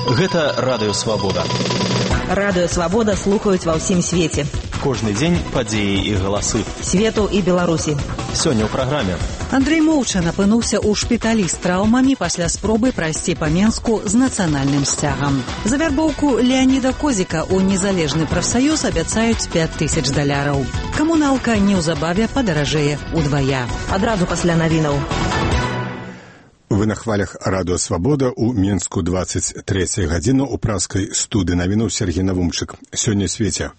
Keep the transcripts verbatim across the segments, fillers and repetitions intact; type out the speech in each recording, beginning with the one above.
Гэта Радыё Свабода. Радыё Свабода слухаюць ва ўсім свеце. Кожны дзень падзеі і галасы. Свету і Беларусі. Сёння ў праграме. Андрэй Моўчан апынуўся ў шпіталі з траўмамі пасля спробы прайсці па Менску з нацыянальным сцягам. За вярбоўку Леаніда Козіка ў незалежны прафсаюз абяцаюць пяць тысяч даляраў. Камуналка неўзабаве падаражэе ўдвая. Адразу пасля навінаў. Вы на хвалях Радыё Свабода ў Менску двадцать третья гадзіна ў праскай студыі навінаў Сергей Навумчык. Сёння ў свеце.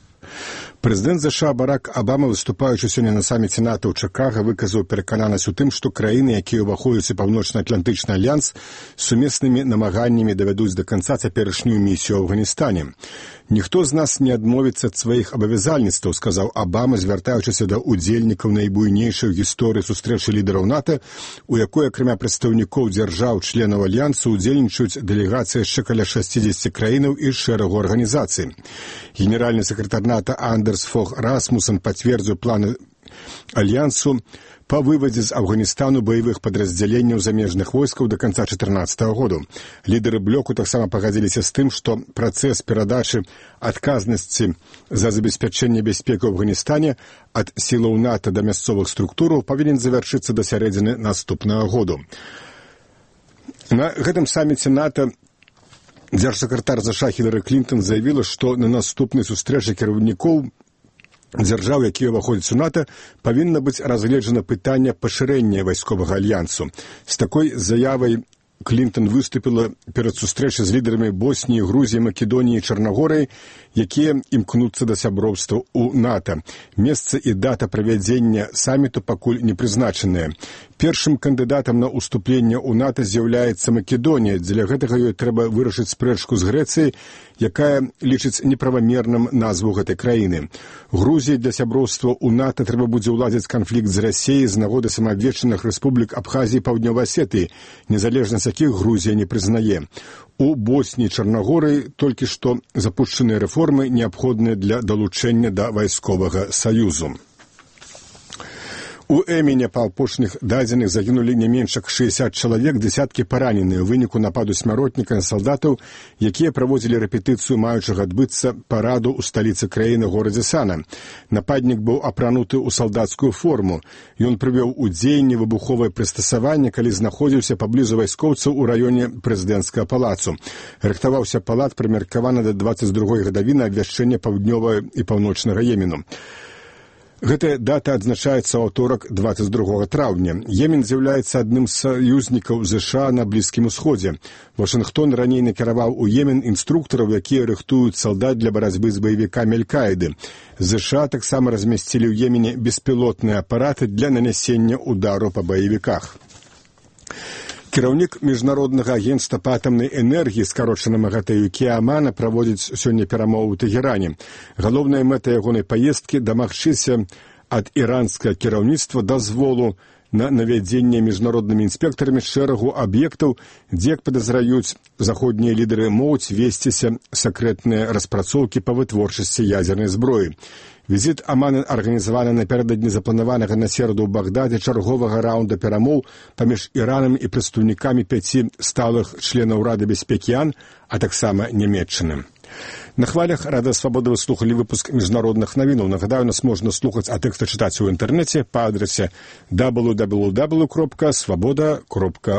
Прэзідэнт ЗША Барак Абама, выступаючы сёння на саміце НАТО ў Чыкага, выказаў перакананасць у тым, што краіны, якія ўваходзяць у паўночна-атлантычны альянс, сумеснымі намаганнямі давядуць да канца цяперашнюю місію ў Афганістане. Ніхто з нас не адмовіцца ад сваіх абавязальніцтваў, сказаў Абама, звяртаючыся да ўдзельнікаў найбуйнейшай гісторыі сустрэчы лідараў НАТО, у якой, акрамя прадстаўнікоў дзяржаў членаў альянсу, удзельнічаюць дэлегацыі яшчэ каля шасцідзесяці краінаў і шэрагу арганізацый. Генеральны сакратар НАТО Андерс Фог Расмуссен пацвердзіў планы альянсу па вывадзе з Афганістану баявых падраздзяленняў замежных войскаў да канца чатырнаццатага году. Лідары блоку таксама пагадзіліся з тым, што працэс перадачы адказнасці за забеспячэнне бяспекі ў Афганістане ад сілаў НАТО да мясцовых структураў павінен завяршыцца да сярэдзіны наступнага году. На гэтым саміце НАТО дзяржсакратар ЗША Хілары Клінтон заявіла, што на наступнай сустрэчы кіраўнікоў дзяржаў, якія ўваходзяць у НАТО, павінна быць разгледжана пытанне пашырэння вайсковага альянсу. З такой заявай Клінтон выступіла перад сустрэчай з лідарамі Босніі, Грузіі, Македоніі і Чарнагорыі, якія імкнуцца да сяброўства ў НАТО. Месца і дата правядзення саміту пакуль не прызначаныя. Першым кандыдатам на ўступленне ў НАТО з'яўляецца Македонія. Дзеля гэтага ёй трэба вырашыць спрэчку з Грэцыяй, якая лічыць неправамерным назву гэтай краіны. Грузіі для сяброўства ў НАТО трэба будзе ўладзіць канфлікт з Расіяй з нагоды самаабвешчаных рэспублік Абхазіі і Паўднёвай Асетыі, незалежнасць якіх Грузія не прызнае. У Босніі і Чарнагорыі толькі што запушчаныя рэформы, неабходныя для далучэння да вайсковага саюзу. У Эміне па апошніх дадзеных загінулі не менш як шэсцьдзесят чалавек, дзесяткі параненыя ў выніку нападу смяротніка на салдатаў, якія праводзілі рэпетыцыю маючага адбыцца параду ў сталіцы краіны горадзе Сана. Нападнік быў апрануты ў салдацкую форму. Ён прывёў у дзеянне выбуховае прыстасаванне, калі знаходзіўся паблізу вайскоўцаў у раёне прэзідэнцкага палацу. Рыхтаваўся палат, прымеркаваны да дваццаць другой гадавіны абвяшчэння паўднёвага і паўночнага Йемену. Гэтая дата адзначаецца ў аўторак дваццаць другога траўня. Йемен з'яўляецца адным з саюзнікаў ЗША на Блізкім Усходзе. Вашынгтон раней накіраваў у Йемен інструктараў, якія рыхтуюць салдат для барацьбы з баевікамі Аль-Каіды. ЗША таксама размясцілі ў Йемене беспілотныя апараты для нанясення ўдару па баевіках. Кіраўнік міжнароднага агенцтва па атамнай энергіі, скарочанага гэта ЮК Амана, праводзіць сёння перамовы ў Тэгеране. Галоўная мэта ягонай паездкі – дамагчыся ад іранскага кіраўніцтва дазволу на навядзенне міжнароднымі інспектарамі шэрагу аб'ектаў, дзе, як падазраюць заходнія лідары, могуць весціся сакрэтныя распрацоўкі па вытворчасці ядзернай зброі. Візіт Амана арганізаваны напярэдадні запланаванага на сераду ў Багдадзе чарговага раунда перамоў паміж Іранам і прадстаўнікамі пяці сталых членаў Рады бяспекі ООН, а таксама Нямецчыны. На хвалях Радыё Свабода вы слухалі выпуск міжнародных навінаў. Нагадаю, нас можна слухаць, а тэксты чытаць у інтэрнэце па адрасе дабл ю дабл ю дабл ю крапка свабода крапка